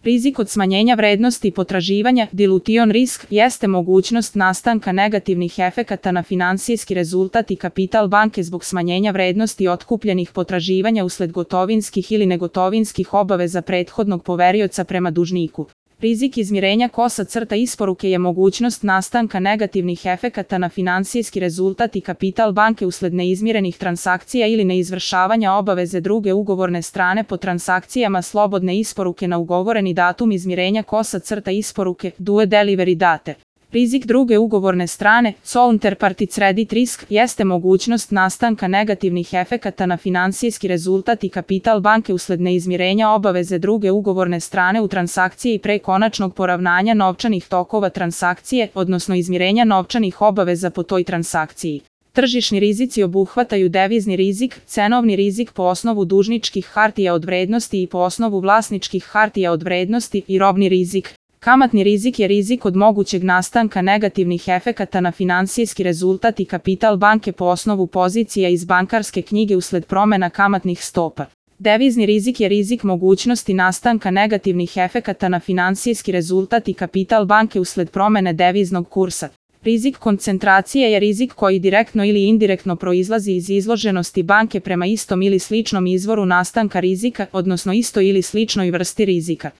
Rizik od smanjenja vrednosti potraživanja, dilution risk, jeste mogućnost nastanka negativnih efekata na finansijski rezultat i kapital banke zbog smanjenja vrednosti otkupljenih potraživanja usled gotovinskih ili negotovinskih obaveza prethodnog poverioca prema dužniku. Rizik izmirenja isporuke je mogućnost nastanka negativnih efekata na finansijski rezultat i kapital banke usled neizmirenih transakcija ili neizvršavanja obaveze druge ugovorne strane po transakcijama slobodne isporuke na ugovoreni datum izmirenja isporuke, due delivery date. Rizik druge ugovorne strane, counterparty credit risk, jeste mogućnost nastanka negativnih efekata na finansijski rezultat i kapital banke usled neizmirenja obaveze druge ugovorne strane u transakciji pre konačnog poravnanja novčanih tokova transakcije, odnosno izmirenja novčanih obaveza po toj transakciji. Tržišni rizici obuhvataju devizni rizik, cenovni rizik po osnovu dužničkih hartija od vrednosti i po osnovu vlasničkih hartija od vrednosti i robni rizik. Kamatni rizik je rizik od mogućeg nastanka negativnih efekata na finansijski rezultat i kapital banke po osnovu pozicija iz bankarske knjige usled promena kamatnih stopa. Devizni rizik je rizik mogućnosti nastanka negativnih efekata na finansijski rezultat i kapital banke usled promene deviznog kursa. Rizik koncentracije je rizik koji direktno ili indirektno proizlazi iz izloženosti banke prema istom ili sličnom izvoru nastanka rizika, odnosno istoj ili sličnoj vrsti rizika.